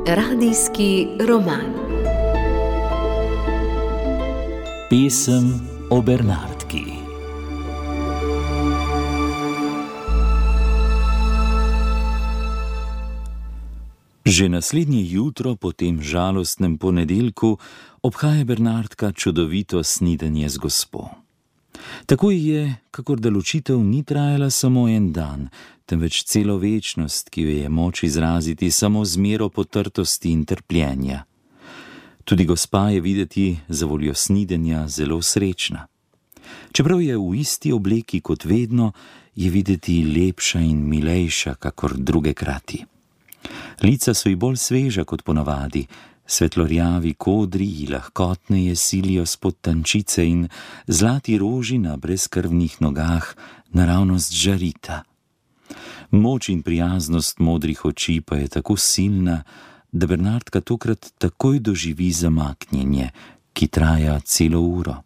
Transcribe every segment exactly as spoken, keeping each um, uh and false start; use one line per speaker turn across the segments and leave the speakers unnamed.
Radijski roman.
Pesem o Bernardki. Že naslednje jutro po tem žalostnem ponedeljku obhaja Bernardka čudovito snidenje z gospo. Tako je, kakor da ločitev ni trajala samo en dan, temveč celo večnost, ki jo je moč izraziti samo z mero potrtosti in trpljenja. Tudi gospa je videti zavoljo snidenja zelo srečna. Čeprav je v isti obleki kot vedno, je videti lepša in milejša, kakor druge krati. Lica so ji bolj sveža kot ponavadi, svetlorjavi kodri ji lahkotneje silijo spod tančice in zlati roži na brezkrvnih nogah naravnost žarita. Moč in prijaznost modrih oči pa je tako silna, da Bernardka tokrat takoj doživi zamaknjenje, ki traja celo uro.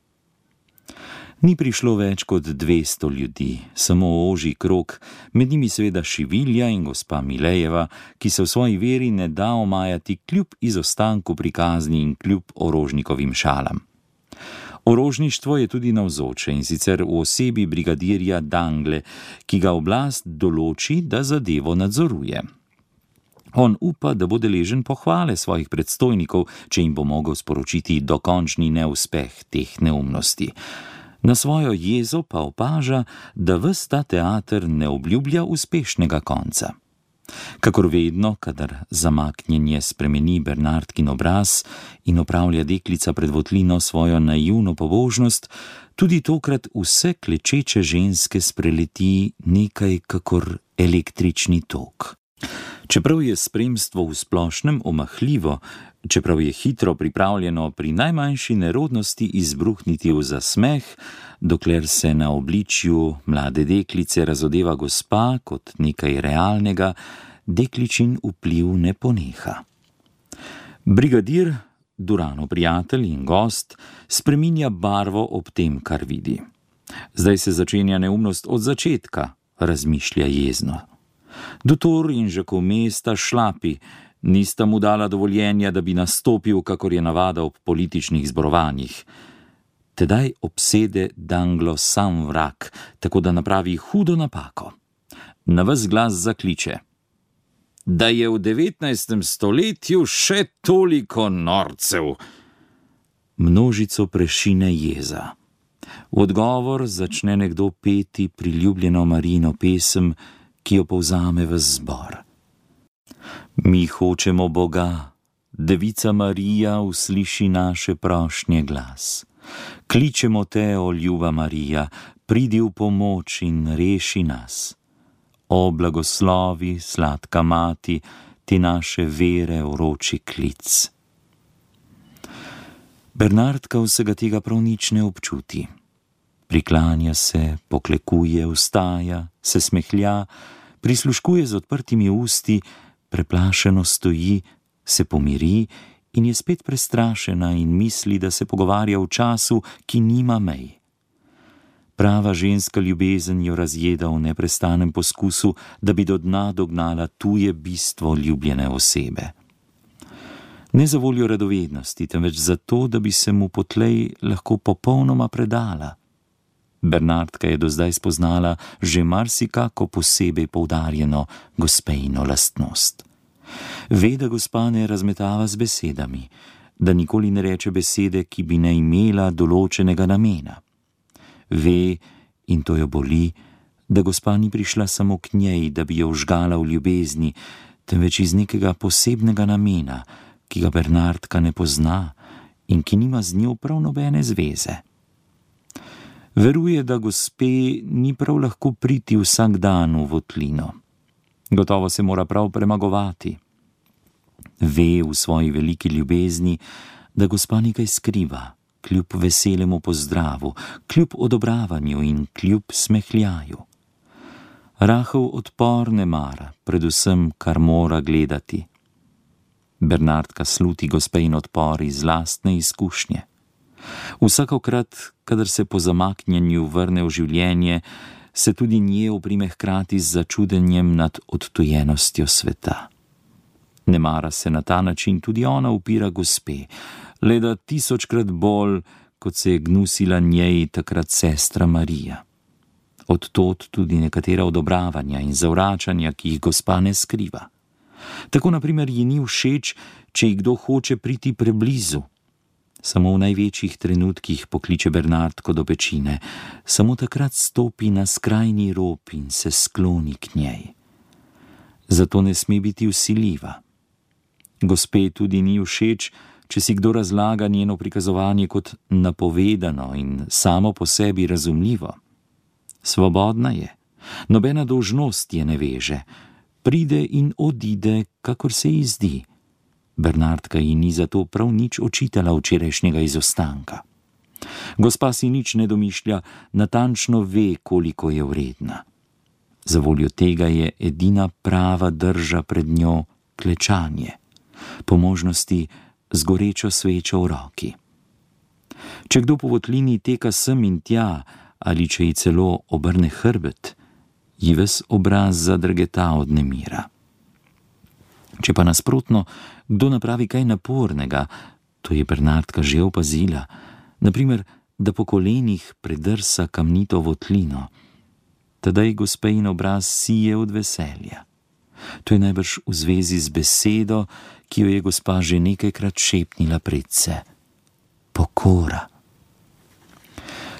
Ni prišlo več kot dvesto ljudi, samo ožji krog, med njimi seveda Šivilja in gospa Milejeva, ki se v svoji veri ne da omajati kljub izostanku prikazni in kljub orožnikovim šalam. Orožništvo je tudi navzoče, in sicer v osebi brigadirja Dangle, ki ga oblast določi, da zadevo nadzoruje. On upa, da bo deležen pohvale svojih predstojnikov, če jim bo mogel sporočiti dokončni neuspeh teh neumnosti. Na svojo jezo pa opaža, da ves ta teater ne obljublja uspešnega konca. Kakor vedno, kadar zamaknjenje spremeni Bernardkin obraz in opravlja deklica pred votlino svojo naivno pobožnost, tudi tokrat vse klečeče ženske spreleti nekaj kakor električni tok. Čeprav je spremstvo v splošnem omahljivo, čeprav je hitro pripravljeno pri najmanjši nerodnosti izbruhniti v zasmeh, dokler se na obličju mlade deklice razodeva gospa kot nekaj realnega, dekličin vpliv ne poneha. Brigadir, Duranov prijatelj in gost, spreminja barvo ob tem, kar vidi. Zdaj se začenja neumnost od začetka, razmišlja jezno. Dutor in Žakome sta šlapi, nista mu dala dovoljenja, da bi nastopil, kakor je navada ob političnih zborovanjih. Tedaj obsede Danglo sam vrak, tako da napravi hudo napako. Na ves glas zakliče: da je v devetnajstem stoletju še toliko norcev. Množico prešine jeza. V odgovor začne nekdo peti priljubljeno Marijino pesem, ki jo povzame v zbor. Mi hočemo Boga, Devica Marija usliši naše prošnje glas. Kličemo te, o ljuba Marija, pridi v pomoč in reši nas. O blagoslovi, sladka mati, ti naše vere vroči klic. Bernardka vsega tega prav nič ne občuti. Priklanja se, poklekuje, vstaja, se smehlja, prisluškuje z odprtimi usti, preplašeno stoji, se pomiri in je spet prestrašena in misli, da se pogovarja v času, ki nima mej. Prava ženska ljubezen jo razjeda v neprestanem poskusu, da bi do dna dognala tuje bistvo ljubljene osebe. Ne za voljo radovednosti, temveč zato, da bi se mu potlej lahko popolnoma predala. Bernardka je do zdaj spoznala že marsikako posebej poudarjeno gospejino lastnost. Ve, da gospa ne razmetava z besedami, da nikoli ne reče besede, ki bi ne imela določenega namena. Ve, in to jo boli, da gospa ni prišla samo k njej, da bi jo vžgala v ljubezni, temveč iz nekega posebnega namena, ki ga Bernardka ne pozna in ki nima z njo prav nobene zveze. Veruje, da gospe ni prav lahko priti vsak dan v votlino. Gotovo se mora prav premagovati. Ve v svoji veliki ljubezni, da gospa nekaj skriva, kljub veselemu pozdravu, kljub odobravanju in kljub smehljaju. Rahel odpor ne mara, predvsem, kar mora gledati. Bernardka sluti gospejin odpor iz lastne izkušnje. Vsakokrat, kadar se po zamaknjenju vrne v življenje, se tudi nje oprime hkrati z začudenjem nad odtujenostjo sveta. Ne mara se na ta način tudi ona upira gospe, le da tisočkrat bolj, kot se je gnusila njej takrat sestra Marija. Od tod tudi nekatera odobravanja in zavračanja, ki jih gospa ne skriva. Tako naprimer ji ni všeč, če ji kdo hoče priti preblizu. Samo v največjih trenutkih pokliče Bernardko do pečine, samo takrat stopi na skrajni rob in se skloni k njej. Zato ne sme biti vsiljiva. Gospe tudi ni všeč, če si kdo razlaga njeno prikazovanje kot napovedano in samo po sebi razumljivo. Svobodna je, nobena dolžnost je ne veže, pride in odide, kakor se ji zdi. Bernardka ji ni zato prav nič očitala včerajšnjega izostanka. Gospa si nič ne domišlja, natančno ve, koliko je vredna. Zavoljo tega je edina prava drža pred njo klečanje, po možnosti z gorečo svečo v roki. Če kdo po votlini teka sem in tja, ali če ji celo obrne hrbet, ji ves obraz zadrgeta od nemira. Če pa nasprotno, kdo napravi kaj napornega, to je Bernardka že opazila, naprimer, da po kolenih predrsa kamnito votlino, tedaj gospejin obraz sije od veselja. To je najbrž v zvezi z besedo, ki jo je gospa že nekajkrat šepnila predse. Pokora.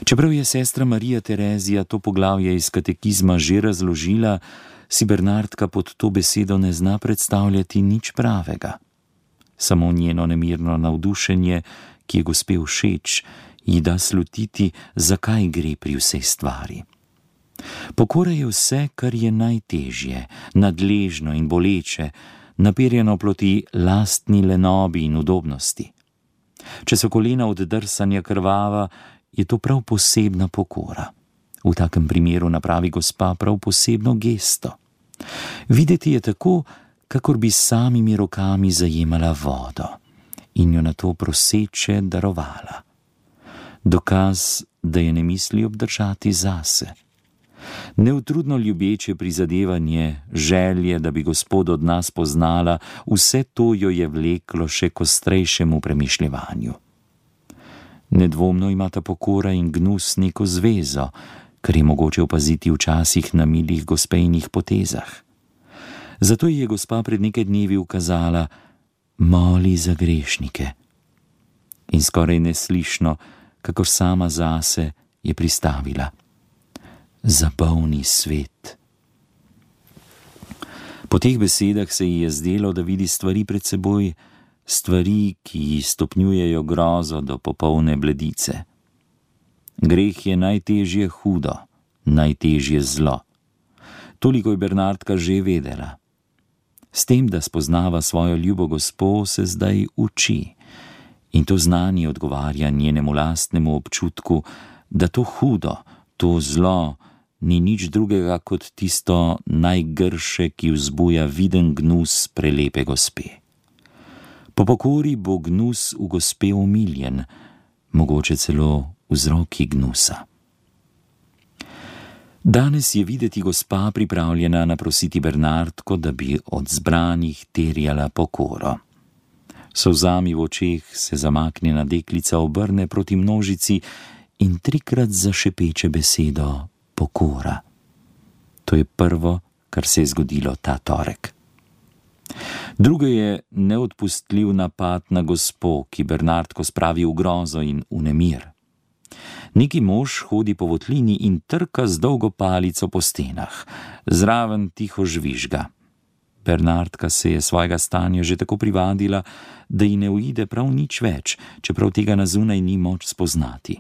Čeprav je sestra Marija Terezija to poglavje iz katekizma že razložila, si Bernardka pod to besedo ne zna predstavljati nič pravega. Samo njeno nemirno navdušenje, ki je gospe všeč, ji da slutiti, zakaj gre pri vsej stvari. Pokora je vse, kar je najtežje, nadležno in boleče, naperjeno proti lastni lenobi in udobnosti. Če so kolena od drsanja krvava, je to prav posebna pokora. V takem primeru napravi gospa prav posebno gesto. Videti je tako, kakor bi s samimi rokami zajemala vodo in jo nato proseče darovala. Dokaz, da je ne misli obdržati zase. Neutrudno ljubeče prizadevanje, želje, da bi Gospod od nas poznala, vse to jo je vleklo še k ostrejšemu premišljevanju. Nedvomno imata pokora in gnus neko zvezo, kar je mogoče opaziti včasih na milih gospejnih potezah. Zato ji je gospa pred nekaj dnevi ukazala: moli za grešnike. In skoraj neslišno, kakor sama zase, je pristavila: za bolni svet. Po teh besedah se ji je zdelo, da vidi stvari pred seboj, stvari, ki ji stopnjujejo grozo do popolne bledice. Greh je najtežje hudo, najtežje zlo. Toliko je Bernardka že vedela. S tem, da spoznava svojo ljubo gospo, se zdaj uči. In to znanje odgovarja njenemu lastnemu občutku, da to hudo, to zlo ni nič drugega kot tisto najgrše, ki vzbuja viden gnus prelepe gospe. Po pokori bo gnus v gospe omiljen, mogoče celo vzroki gnusa. Danes je videti gospa pripravljena naprositi Bernardko, da bi od zbranih terjala pokoro. Solzami v očeh se zamaknjena deklica obrne proti množici in trikrat zašepeče besedo pokora. To je prvo, kar se je zgodilo ta torek. Drugo je neodpustljiv napad na gospo, ki Bernardko spravi v grozo in v nemir. Neki mož hodi po votlini in trka z dolgo palico po stenah, zraven tiho žvižga. Bernardka se je svojega stanja že tako privadila, da ji ne uide prav nič več, čeprav tega na zunaj ni moč spoznati.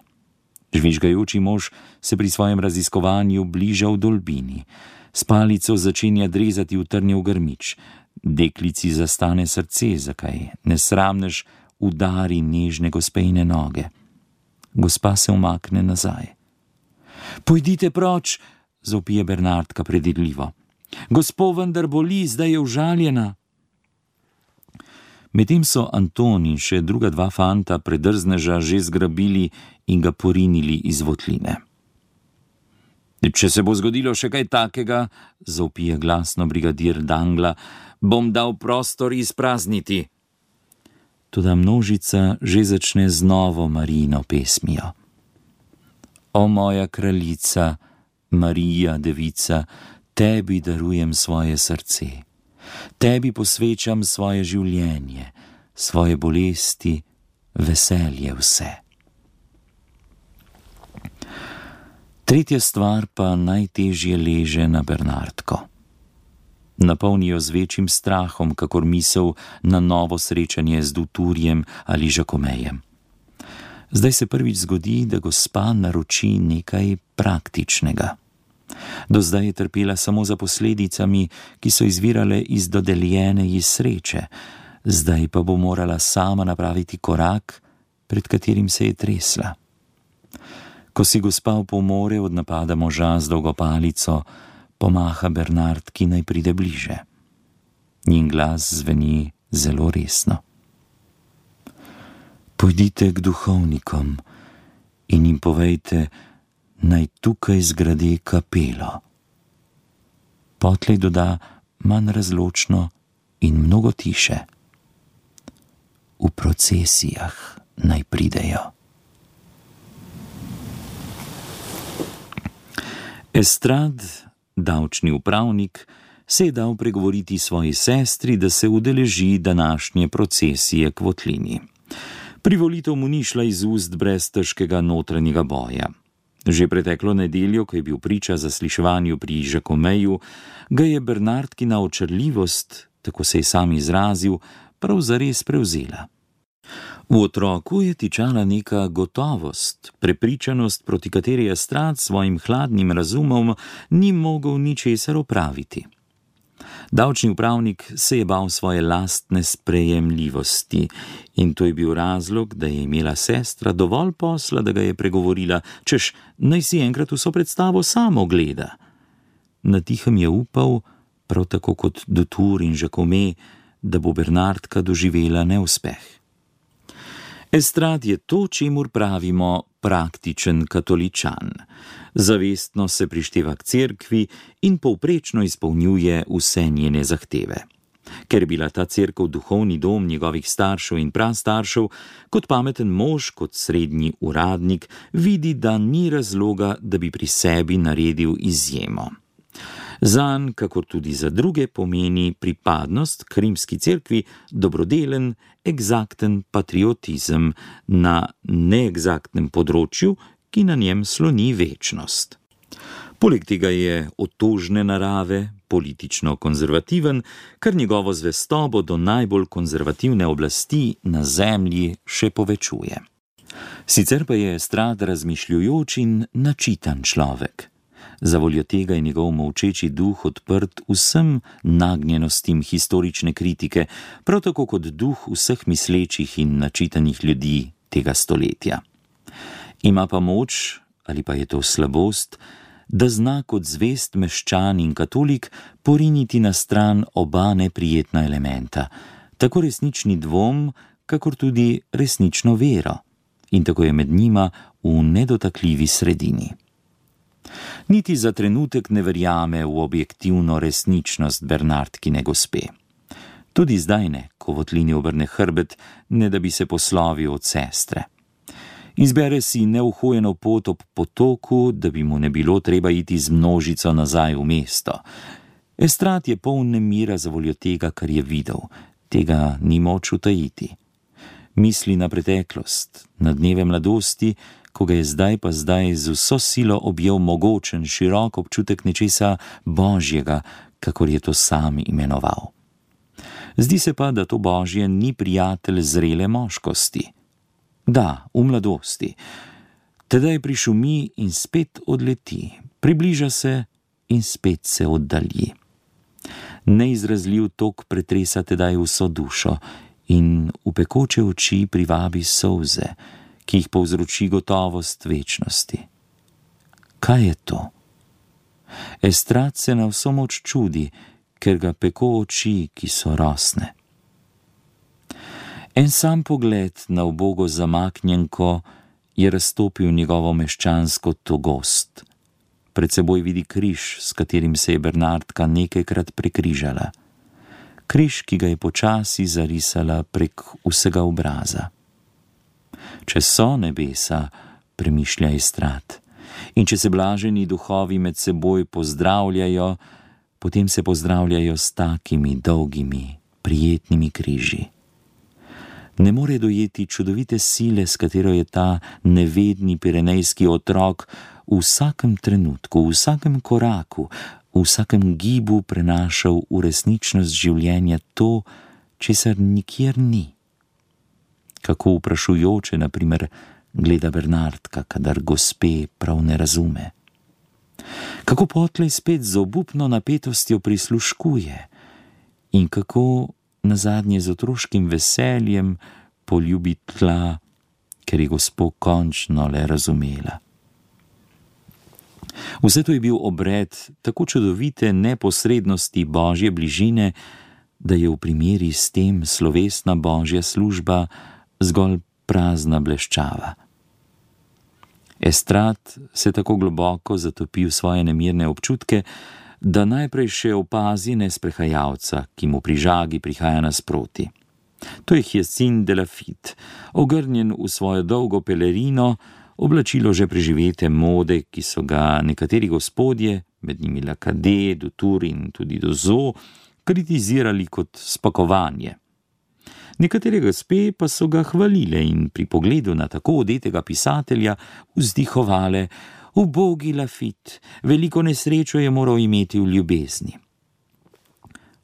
Žvižgajoči mož se pri svojem raziskovanju bliža v dolbini. S palico začenja drezati v trnjev grmič. Deklici zastane srce, zakaj nesramnež udari nežne gospejne noge. Gospa se umakne nazaj. Pojdite proč, zavpije Bernardka predvidljivo. Gospo vendar boli, zdaj je užaljena. Medtem so Anton in še druga dva fanta predrzneža že zgrabili in ga porinili iz votline. Če se bo zgodilo še kaj takega, zavpije glasno brigadir Dangla, bom dal prostor izprazniti. Toda množica že začne z novo Marijino pesmijo. O moja kraljica, Marija, devica, tebi darujem svoje srce, tebi posvečam svoje življenje, svoje bolesti, veselje vse. Tretja stvar pa najtežje leže na Bernardko. Napolnijo z večjim strahom, kakor misel na novo srečanje z Duturjem ali Žakomejem. Zdaj se prvič zgodi, da gospa naroči nekaj praktičnega. Do zdaj je trpela samo za posledicami, ki so izvirale iz dodeljene ji sreče, zdaj pa bo morala sama napraviti korak, pred katerim se je tresla. Ko si gospa opomore od napada moža z dolgo palico, pomaha Bernardki, naj pride bliže. Njen glas zveni zelo resno. Pojdite k duhovnikom in jim povejte, naj tukaj zgrade kapelo. Potlej doda manj razločno in mnogo tiše. V procesijah naj pridejo. Estrad, davčni upravnik, se je dal pregovoriti svoji sestri, da se udeleži današnje procesije k votlini. Privolitev mu ni šla iz ust brez težkega notranjega boja. Že preteklo nedeljo, ko je bil priča zasliševanju pri Žakomeju, ga je Bernardkina očarljivost, tako se je sam izrazil, prav zares prevzela. V otroku je tičala neka gotovost, prepričanost, proti kateri Estrad s svojim hladnim razumom ni mogel ničesar opraviti. Davčni upravnik se je bal svoje lastne sprejemljivosti in to je bil razlog, da je imela sestra dovolj posla, da ga je pregovorila, češ naj si enkrat vso predstavo samo gleda. Na tihem je upal, prav tako kot Dutur in Žakome, da bo Bernardka doživela neuspeh. Estrad je to, čemur pravimo praktičen katoličan. Zavestno se prišteva k cerkvi in povprečno izpolnjuje vse njene zahteve. Ker je bila ta cerkev duhovni dom njegovih staršev in prastaršev, kot pameten mož, kot srednji uradnik, vidi, da ni razloga, da bi pri sebi naredil izjemo. Zanj, kakor tudi za druge, pomeni pripadnost k rimski cerkvi dobrodelen, egzakten patriotizem na neegzaktnem področju, ki na njem sloni večnost. Poleg tega je otožne narave, politično konzervativen, kar njegovo zvestobo do najbolj konzervativne oblasti na zemlji še povečuje. Sicer pa je Estrad razmišljujoč in načitan človek. Zavoljo tega je njegov molčeči duh odprt vsem nagnjenostim historične kritike, prav tako kot duh vseh mislečih in načitanih ljudi tega stoletja. Ima pa moč, ali pa je to slabost, da zna kot zvest meščan in katolik poriniti na stran oba neprijetna elementa, tako resnični dvom, kakor tudi resnično vero, in tako je med njima v nedotakljivi sredini. Niti za trenutek ne verjame v objektivno resničnost Bernardkine gospe. Tudi zdaj ne, ko votlini obrne hrbet, ne da bi se poslovil od sestre. Izbere si neuhojeno pot ob potoku, da bi mu ne bilo treba iti z množico nazaj v mesto. Estrad je poln nemira zavoljo tega, kar je videl, tega ni moč utajiti. Misli na preteklost, na dneve mladosti, ko ga je zdaj pa zdaj z vso silo objel mogočen, širok občutek nečesa božjega, kakor je to sam imenoval. Zdi se pa, da to božje ni prijatelj zrele moškosti. Da, v mladosti. Tedaj prišumi in spet odleti, približa se in spet se oddalji. Neizrazljiv tok pretresa tedaj vso dušo in v pekoče oči privabi solze, ki jih povzroči gotovost večnosti. Kaj je to? Estrad se na vso moč čudi, ker ga peko oči, ki so rosne. En sam pogled na ubogo zamaknjenko je raztopil njegovo meščansko togost. pred seboj vidi križ, s katerim se je Bernardka nekajkrat prekrižala. Križ, ki ga je počasi zarisala prek vsega obraza. Če so nebesa, premišlja Estrad, in če se blaženi duhovi med seboj pozdravljajo, potem se pozdravljajo s takimi dolgimi, prijetnimi križi. Ne more dojeti čudovite sile, s katero je ta nevedni pirenejski otrok v vsakem trenutku, v vsakem koraku, v vsakem gibu prenašal v resničnost življenja to, česar nikjer ni. Kako vprašujoče, na primer, gleda Bernardka, kadar gospe prav ne razume. Kako potlej spet z obupno napetostjo prisluškuje in kako nazadnje z otroškim veseljem poljubi tla, ker je gospo končno le razumela. Vse to je bil obred tako čudovite neposrednosti Božje bližine, da je v primeri s tem slovesna Božja služba zgolj prazna bleščava. Estrad se tako globoko zatopi v svoje nemirne občutke, da najprej še opazi nesprehajalca, ki mu pri žagi prihaja nasproti. To je Hyacinthe de Laffitte, ogrnjen v svojo dolgo pelerino, oblačilo že preživete mode, ki so ga nekateri gospodje, med njimi Lacadé, Dutour in tudi Dozo, kritizirali kot spakovanje. Nekatere gospe pa so ga hvalile in pri pogledu na tako odetega pisatelja vzdihovale: ubogi Laffitte, veliko nesrečo je moral imeti v ljubezni.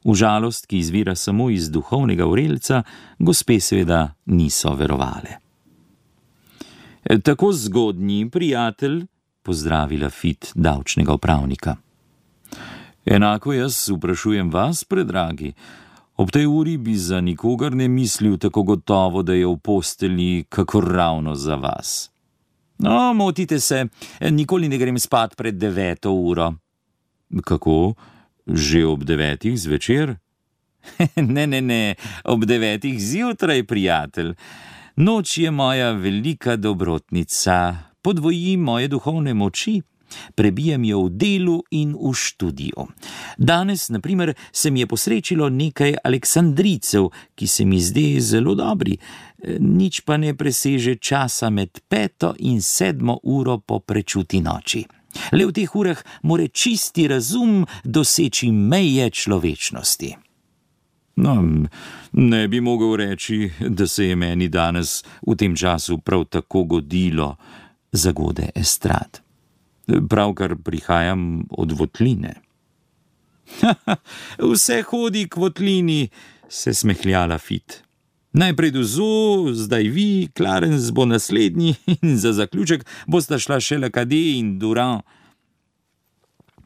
V žalost, ki izvira samo iz duhovnega vrelca, gospe seveda niso verovale. Tako zgodnji prijatelj, pozdravi Laffitte davčnega upravnika. Enako jaz vprašujem vas, predragi. Ob tej uri bi za nikogar ne mislil tako gotovo, da je v postelji kakor ravno za vas. No, motite se, nikoli ne grem spat pred deveto uro. Kako? Že ob devetih zvečer? ne, ne, ne, ob devetih zjutraj, prijatelj. Noč je moja velika dobrotnica, podvoji moje duhovne moči, prebijem jo v delu in v študiju. Danes, na primer, se mi je posrečilo nekaj aleksandrijcev, ki se mi zde zelo dobri, nič pa ne preseže časa med peto in sedmo uro po prečuti noči. Le v teh urah more čisti razum doseči meje človečnosti. No, ne bi mogel reči, da se je meni danes v tem času prav tako godilo, zagode Estrad. Pravkar prihajam od votline. Vse hodi k votlini, se smehlja Laffitte. Najprej Dozo, zdaj vi, Clarence bo naslednji in za zaključek bosta šla še Lacadé in Durand.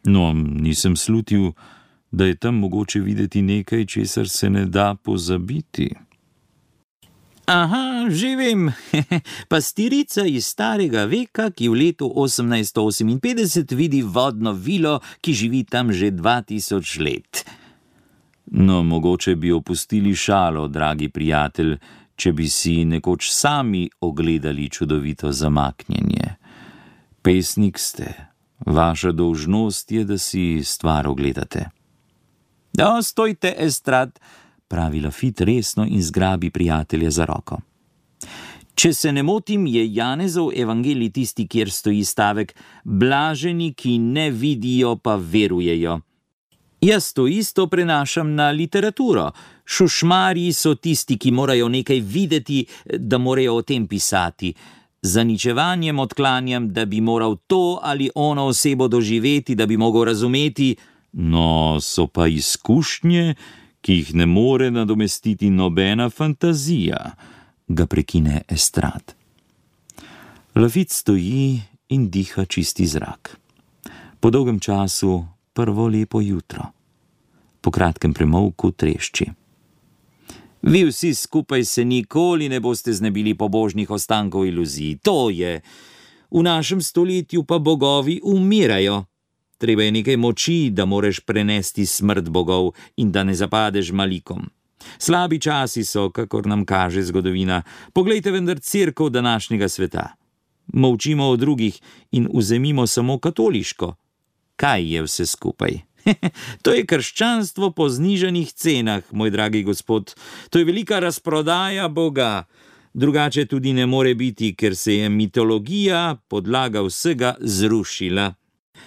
No, nisem slutil, da je tam mogoče videti nekaj, česar se ne da pozabiti. Aha, že vem, pastirica iz starega veka, ki v letu osemnajststo oseminpetdeset vidi vodno vilo, ki živi tam že dva tisoč let. No, mogoče bi opustili šalo, dragi prijatelj, če bi si nekoč sami ogledali čudovito zamaknjenje. Pesnik ste, vaša dolžnost je, da si stvar ogledate. Da, stojte, Estrad, pravi Laffitte resno in zgrabi prijatelja za roko. Če se ne motim, je Janezov evangelij tisti, kjer stoji stavek: blaženi, ki ne vidijo, pa verujejo. Jaz to isto prenašam na literaturo. Šušmarji so tisti, ki morajo nekaj videti, da morajo o tem pisati. Zaničevanjem odklanjam, da bi moral to ali ono osebo doživeti, da bi mogel razumeti. No, so pa izkušnje, ki jih ne more nadomestiti nobena fantazija, ga prekine Estrad. Laffitte stoji in diha čisti zrak. Po dolgem času prvo lepo jutro. Po kratkem premolku trešči. Vi vsi skupaj se nikoli ne boste znebili pobožnih ostankov iluzij. To je. V našem stoletju pa bogovi umirajo. Treba je nekaj moči, da moreš prenesti smrt bogov in da ne zapadeš malikom. Slabi časi so, kakor nam kaže zgodovina. Poglejte vendar cerkev današnjega sveta. Molčimo o drugih in vzemimo samo katoliško. Kaj je vse skupaj? To je krščanstvo po znižanih cenah, moj dragi gospod. To je velika razprodaja Boga. Drugače tudi ne more biti, ker se je mitologija, podlaga vsega, zrušila.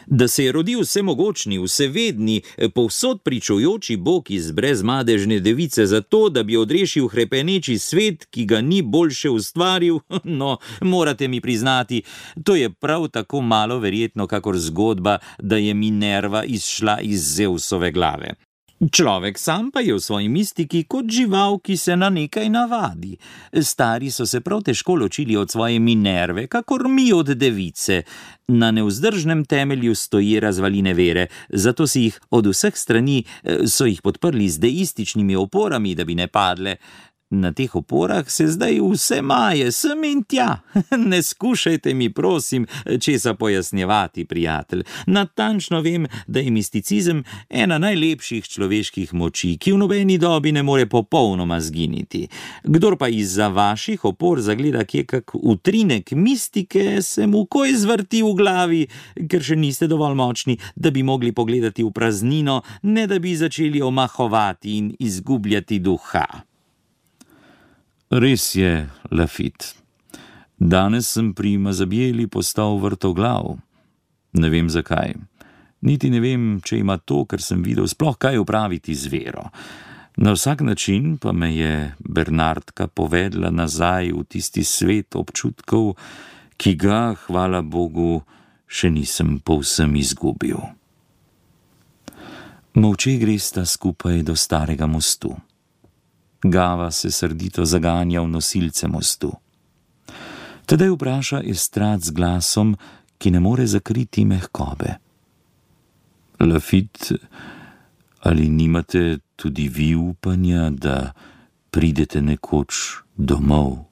Da se je rodil vsemogočni, vsevedni, povsod pričujoči Bog iz brezmadežne device zato, da bi odrešil hrepeneči svet, ki ga ni boljše ustvaril, no, morate mi priznati, to je prav tako malo verjetno, kakor zgodba, da je Minerva izšla iz Zeusove glave. Človek sam pa je v svoji mistiki kot žival, ki se na nekaj navadi. Stari so se prav težko ločili od svoje Minerve, kakor mi od device. Na nevzdržnem temelju stoji razvaline vere, zato si jih od vseh strani so jih podprli z deističnimi oporami, da bi ne padle. Na teh oporah se zdaj vse maje, sem in tja. Ne skušajte mi, prosim, česa pojasnjevati, prijatelj. Natančno vem, da je misticizem ena najlepših človeških moči, ki v nobeni dobi ne more popolnoma zginiti. Kdor pa izza vaših opor zagleda kje kak utrinek mistike, se mu koj zvrti v glavi, ker še niste dovolj močni, da bi mogli pogledati v praznino, ne da bi začeli omahovati in izgubljati duha.
Res je, Lafitte. Danes sem pri Mazabjeli postal vrtoglav. Ne vem zakaj. Niti ne vem, če ima to, kar sem videl, sploh kaj opraviti z vero. Na vsak način pa me je Bernardka povedla nazaj v tisti svet občutkov, ki ga, hvala Bogu, še nisem povsem izgubil. Molče gresta skupaj do starega mostu. Gava se srdito zaganja v nosilce mostu. Tedaj vpraša Estrad z glasom, ki ne more zakriti mehkobe. Lafitte, ali nimate tudi vi upanja, da pridete nekoč domov?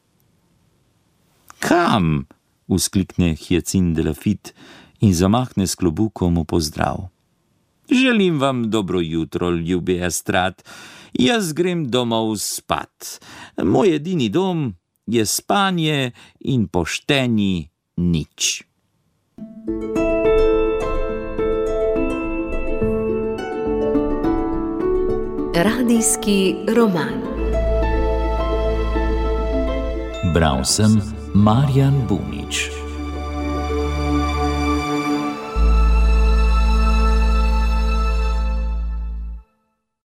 Kam? Vzklikne Hyacinthe de Lafitte in zamahne s klobukom v pozdrav. Želim vam dobro jutro, ljubi Estrad. Jaz grem domov spat. Moj edini dom je spanje in pošteni nič.
Radijski roman.
Bral sem Marjan Bunič.